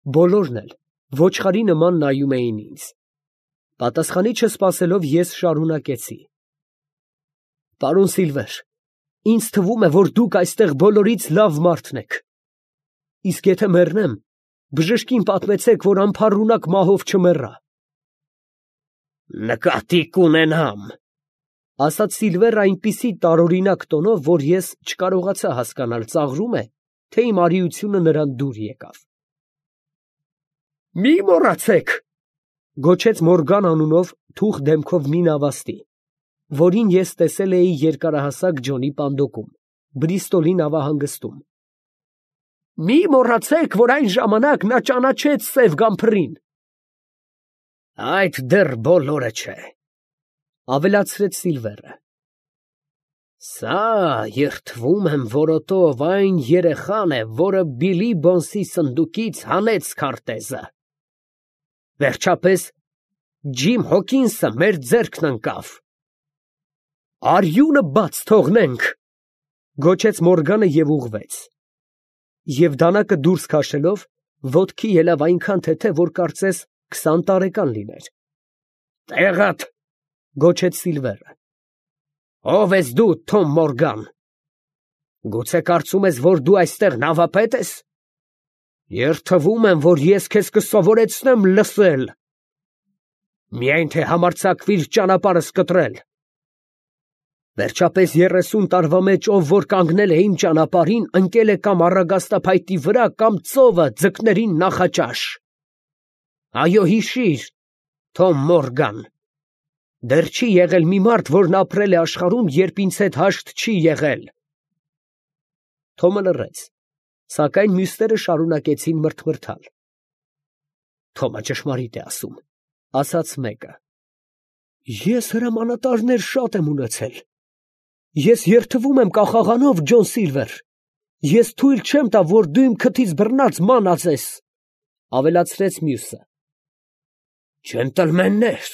Բոլորն էլ ոչխարի նման նայում էին ինձ։ Պատասխանի չսպասելով, ես շարունակեցի. «Պարոն Սիլվեր, ինձ թվում է, որ դուք այստեղ բոլորից լավ մարդն եք, իսկ եթե մեռնեմ, բժշկին պատմեցեք, որ անփառունակ մահով չմեռա»։ Նկատի կունենամ, ֊ ասաց Սիլվերը այնպիսի տարօրինակ տոնով, որ ես չկարողացա հասկանալ ծաղրում է, թե իմ արիությունը նրան դուր եկավ։ Մի մոռացեք, ֊ գոչեց Մորգան անունով թուխ դեմքով մի նավաստի, որին ես տեսել էի երկարահասակ Ջոնի պանդոկում, Բրիստոլի նավահանգստում։ մի մոռացեք, որ այն ժամանակ նա ճանաչեց Սև Գամփրին։ Այդ դեռ բոլորը չէ, ֊ ավելացրեց Սիլվերը։ Սա, երդվում եմ որոտով, այն երեխան է, որը Բիլի Բոնսի սնդուկից հանեց քարտեզը։ Վերջապես Ջիմ Հոքինսը մեր ձեռքն ընկավ։ Արյունը բաց թողնենք, ֊ գոչեց Մորգանը և ուղղվեց։ Եվ դանակը դուրս քաշելով, ոտքի ելավ այնքան թեթև, որ կարծես 20 տարեկան լիներ։ Տեղդ, ֊ գոչեց Սիլվերը։ Ո՞վ ես դու, Թոմ Մորգան։ Գուցե կարծում ես, որ դու այստեղ նավապետ ես։ Երդվում եմ, որ ես քեզ կսովորեցնեմ լսել, միայն թե համարձակվիր ճանապարհս կտրել։ Վերջապես 30 տարվա մեջ ով որ կանգնել է իմ ճանապարհին, ընկել է կամ առագաստափայտի վրա, կամ ծովը ձկներին նախաճաշ։ Այո, հիշիր, Թոմ Մորգան, դեռ չի եղել մի մարդ, որն ապրել է աշխարհում, երբ ինձ հետ հաշտ չի եղել։ Թոմը լռեց, սակայն մյուսները շարունակեցին մրթմրթալ։ Թոմը ճշմարիտ է ասում, ֊ ասաց մեկը։ Ես հրամանատարներ շատ եմ ունեցել։ Ես երդվում եմ կախաղանով, Ջոն Սիլվեր։ Ես թույլ չեմ տա, որ դու իմ քթից բռնած ման ածես, ֊ ավելացրեց մյուսը։ Ջենտլմեններ,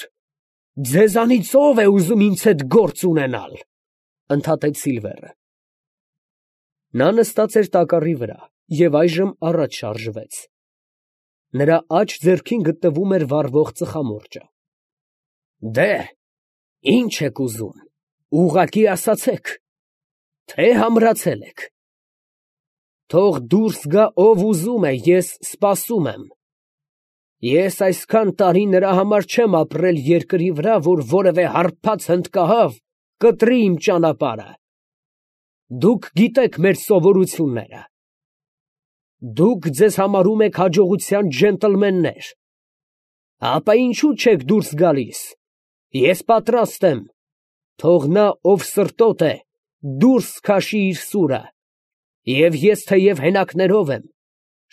ձեզանից ով է ուզում ինձ հետ գործ ունենալ, ֊ ընդհատեց Սիլվերը։ Նա նստած էր տակառի վրա և այժմ առաջ շարժվեց։ Նրա աջ ձեռքին գտնվում էր վառվող ծխամորճը։ Դե, ի՞նչ եք ուզում, ուղղակի ասացեք, թե համրացել եք։ Թող դուրս գա ով ուզում է, ես սպասում եմ։ Ես այսքան տարի նրա համար չեմ ապրել երկրի վրա, որ որևէ հարբած հնդկահավ կտրի իմ ճանապարհը։ Դուք գիտեք մեր սովորությունները։ Դուք ձեզ համարում եք հաջողության ջենտլմեններ։ Ապա ինչու չեք դուրս գալիս։ Ես պատրաստ եմ։ Թող նա, ով սրտոտ է, դուրս քաշի իր սուրը, և ես թեև հենակներով եմ,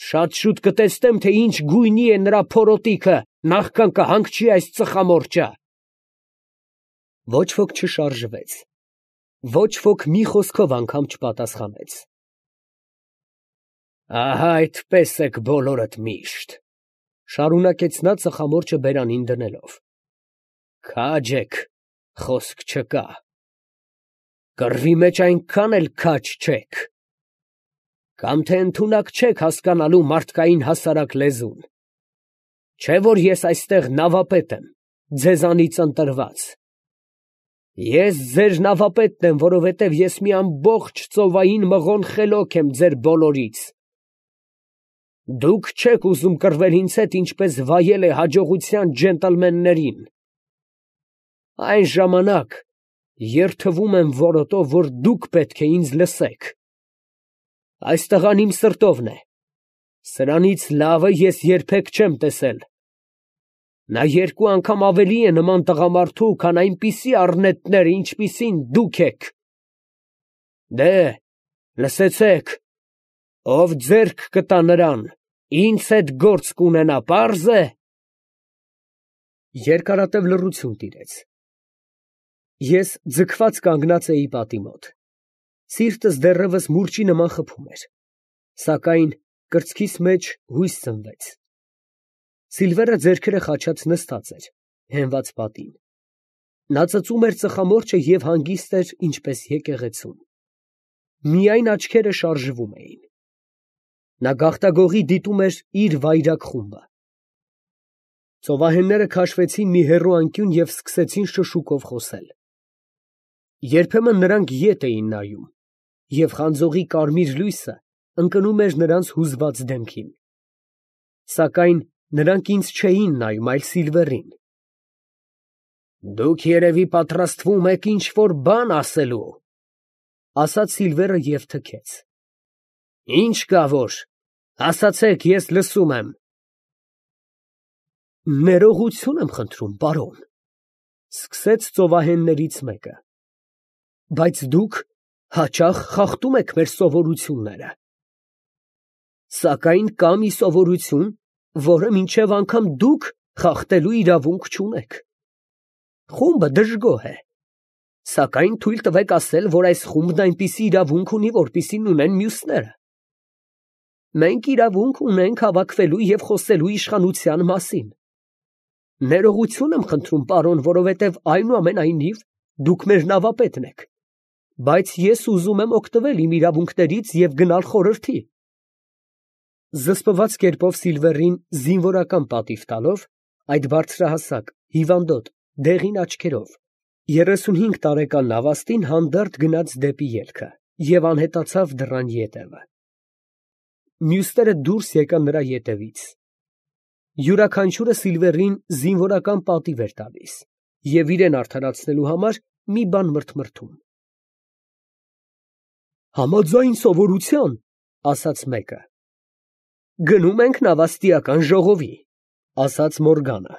շատ շուտ կտեսնեմ, թե ինչ գույնի է նրա փորոտիքը, նախքան կհանգչի այս ծխամորճը։ Ոչ ոք չշարժվեց։ Ոչ ոք մի խոսքով անգամ չպատասխանեց։ Ահա այդպես եք բոլորդ միշտ, ֊ շարունակեց նա ծխամորճը բերանին դնելով։ Քաջ եք, խոսք չկա։ Կռվի մեջ այնքան էլ քաջ չեք։ Կամ թե ընդունակ չեք հասկանալու մարդկային հասարակ լեզուն։ Չէ՞ որ ես այստեղ նավապետ եմ, ձեզանից ընտրված։ Ես ձեր նավապետն եմ, որովհետև ես մի ամբողջ ծովային մղոն խելոք եմ ձեր բոլորից։ Դուք չեք ուզում կռվել ինձ հետ, ինչպես վայել է հաջողության ջենտլմեններին։ Այն ժամանակ երդվում եմ որոտով, որ դուք պետք է ինձ լսեք։ Այս տղան իմ սրտովն է։ Սրանից լավը ես երբեք չեմ տեսել։ Նա 2 անգամ ավելի է նման տղամարդու, քան այնպիսի առնետներ, ինչպիսին դուք եք։ Դե, լսեցեք, ով ձեռք կտա նրան, ինձ հետ գործ կունենա, պարզ է։ Երկարատև լռություն տիրեց։ Ես ձգված կանգնած էի պատի մոտ։ Սիրտս դեռևս մուրճի նման խփում էր, սակայն կրծքիս մեջ հույս ծնվեց։ Սիլվերը ձեռքերը խաչած նստած էր, հենված պատին։ Նա ծծում էր ծխամորճը և հանգիստ էր, ինչպես եկեղեցում։ Միայն աչքերը շարժվում էին։ Նա գաղտագողի դիտում էր իր վայրագ խումբը։ Ծովահենները քաշվեցին մի հեռու անկյուն և սկսեցին շշուկով խոսել։ Երբեմն նրանք ետ էին նայում, և խանձողի կարմիր լույսը ընկնում էր նրանց հուզված դեմքին։ Սակայն նրանք ինձ չէին նայում, այլ Սիլվերին։ «Դուք երևի պատրաստվում եք ինչ֊որ բան ասելու», ֊ ասաց Սիլվերը և թքեց։ «Ինչ կա որ, ասացեք, ես լսում եմ»։ «Ներողություն եմ խնդրում, պարոն, ֊ սկսեց ծովահեններից մեկը, ֊ բայց դուք հաճախ խախտում եք մեր սովորությունները։ Սակայն կա մի սովորություն, որը մինչև անգամ դուք խախտելու իրավունք չունեք։ Խումբը դժգոհ է, սակայն թույլ տվեք ասել, որ այս խումբն այնպիսի իրավունք ունի, որպիսին ունեն մյուսները։ Մենք իրավունք ունենք հավաքվելու և խոսելու իշխանության մասին։ Ներողություն եմ խնդրում, պարոն, որովհետև այնուամենայնիվ դուք մեր նավապետն եք, բայց ես ուզում եմ օգտվել իմ իրավունքներից և գնալ խորհրդի։ Զսպված կերպով Սիլվերին զինվորական պատիվ տալով, այդ բարձրահասակ, հիվանդոտ, դեղին աչքերով, 35 տարեկան նավաստին հանդարտ գնաց դեպի ելքը և անհետացավ դռան ետևը։ Մյուսները դուրս եկան նրա ետևից։ Յուրաքանչյուրը Սիլվերին զինվորական պատիվ էր տալիս և իրեն արդարացնելու համար մի բան մրթմրթում։ «Համաձայն սովորության, ֊ ասաց մեկը, ֊ գնում ենք նավաստիական ժողովի», ֊ ասաց Մորգանը։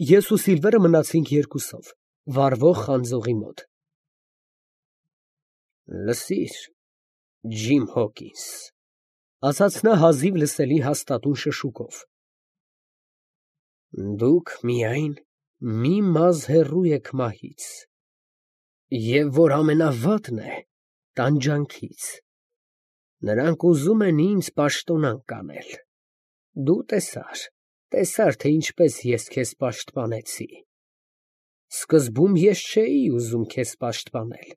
Ես ու Սիլվերը մնացինք երկուսով, վառվող խանձողի մոտ։ «Լսիր, Ջիմ Հոքինս, ֊ ասաց նա հազիվ լսելի հաստատուն շշուկով, ֊ դուք միայն մի մազը հեռու եք մահից, և որ ամենավատն է, տանջանքից։ Նրանք ուզում են ինձ պաշտոնանկ անել։ Դու տեսար, թե ինչպես ես քեզ պաշտպանեցի։ Սկզբում ես չէի ուզում քեզ պաշտպանել,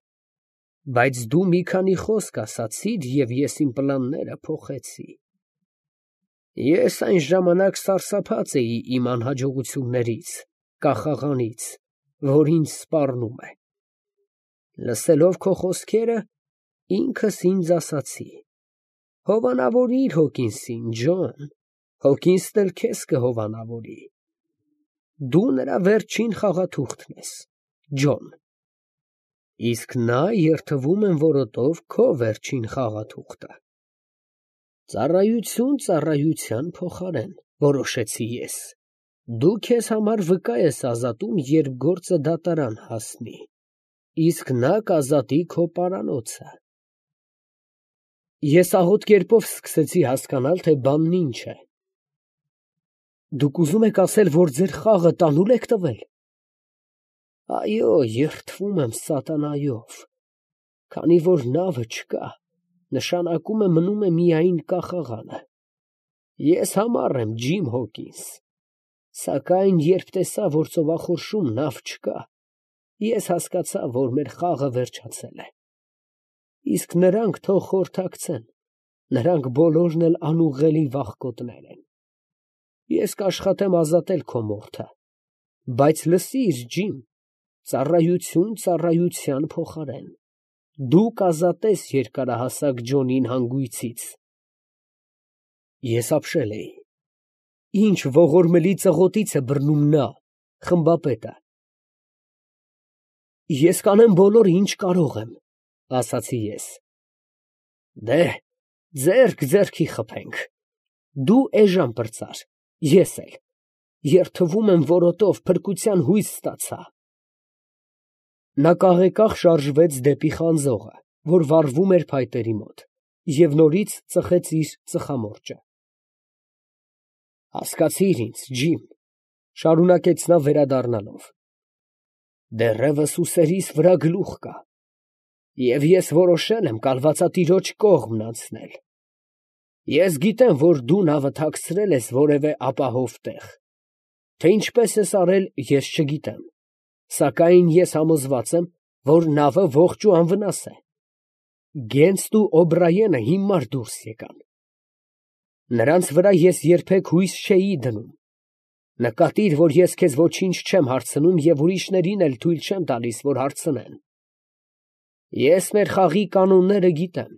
բայց դու մի քանի խոսք ասացիր, և ես իմ պլանները փոխեցի։ Ես այն ժամանակ սարսափած էի իմ անհաջողություններից, կախաղանից, որ ինձ սպառնում է։ Լսելով քո խոսքերը, ինքս ինձ ասացի. հովանավորիր Հոկինսին, Ջոն, Հոկինսն էլ քեզ կհովանավորի։ Դու նրա վերջին խաղաթուղթն ես, Ջոն, իսկ նա երդվում եմ որոտով քո վերջին խաղաթուղթը։ Ծառայություն ծառայության փոխարեն, որոշեցի ես, դու քեզ համար վկա ես ազատում, երբ գործը դատարան հասնի, իսկ նա կազատի քո պարանոցը։ Ես աղոտ կերպով սկսեցի հասկանալ, թե բանն ինչ է։ Դուք ուզում եք ասել, որ ձեր խաղը տանուլ եք տվել։ Այո, երդվում եմ սատանայով, քանի որ նավը չկա, նշանակում է մնում է միայն կախաղանը։ Ես համառ եմ, Ջիմ Հոքինս, սակայն երբ տեսա, որ ծովախորշում նավ չկա, ես հասկացա, որ մեր խաղը վերջացել է։ Իսկ նրանք թող խորհրդակցեն, նրանք բոլորն էլ անուղղելի վախկոտներ են։ Ես կաշխատեմ ազատել քո մորթը, բայց լսիր, Ջիմ, ծառայություն ծառայության փոխարեն, դու կազատես երկարահասակ Ջոնին հանգույցից։ Ես ապշել էի։ Ինչ ողորմելի ծղոտից է բռնում նա, խմբապետը։ Ես կանեմ բոլորը, ինչ կարող եմ, ասացի ես։ Դե, ձեռք ձեռքի խփենք, դու էժան պրծար, ես էլ, երդվում եմ որոտով, փրկության հույս ստացա։ Նա կաղեկաղ շարժվեց դեպի խանձողը, որ վառվում էր փայտերի մոտ, և նորից ծխեց իր ծխամորճը։ Հասկացիր ինձ, Ջիմ, ֊ շարունակեց նա վերադառնալով, ֊ դեռևս ուսերիս վրա գլուխ կա, և ես որոշել եմ կալվածատիրոջ կողմն անցնել։ Ես գիտեմ, որ դու նավը թաքցրել ես որևէ ապահով տեղ, թե ինչպես ես արել, ես չգիտեմ, սակայն ես համոզված եմ, որ նավը ողջ ու անվնաս է։ Գենսն ու Օբրայենը հիմար դուրս եկան, Նրանց վրա ես երբեք հույս չէի դնում։ Նկատիր, որ ես քեզ ոչինչ չեմ հարցնում և ուրիշներին էլ թույլ չեմ տալիս, որ հարցնեն։ Ես մեր խաղի կանոնները գիտեմ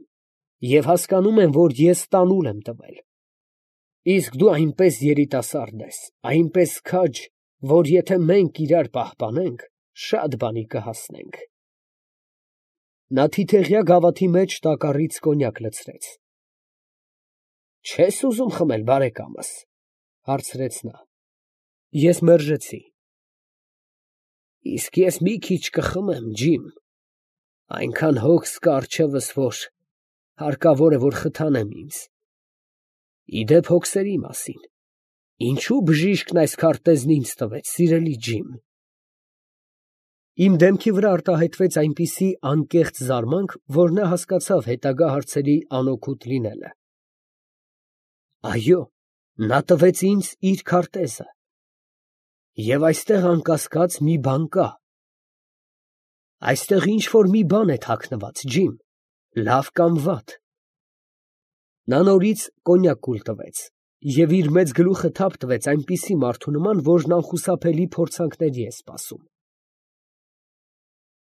և հասկանում եմ, որ ես տանուլ եմ տվել։ Իսկ դու այնպես երիտասարդ ես, այնպես քաջ, որ եթե մենք իրար պահպանենք, շատ բանի կհասնենք։ Նա թիթեղյա գավաթի մեջ տակառից կոնյակ լցրեց։ Չե՞ս ուզում խմել, բարեկամս, հարցրեց նա։ Ես մերժեցի։ Իսկ ես մի քիչ կխմեմ, ջիմ, այնքան հոգս կա առջևս, որ հարկավոր է, որ խթանեմ ինձ։ Ի դեպ հոգսերի մասին, ինչու բժիշկն այս քարտեզն ինձ տվեց, սիրելի ջիմ։ Իմ դեմքի վրա արտահայտվեց այնպիսի անկեղծ զարմանք, որ նա հասկացավ հետագա հարցերի անօգուտ լինելը։ Այո, նա տվեց ինձ իր քարտեզը։ Եվ այստեղ անկասկած մի բան կա։ Այստեղ ինչ֊որ մի բան է թաքնված, ջիմ, լավ կամ վատ։ Նա նորից կոնյակ կուլ տվեց և իր մեծ գլուխը թափ տվեց այնպիսի մարդու նման, որն անխուսափելի փորձանքների է սպասում։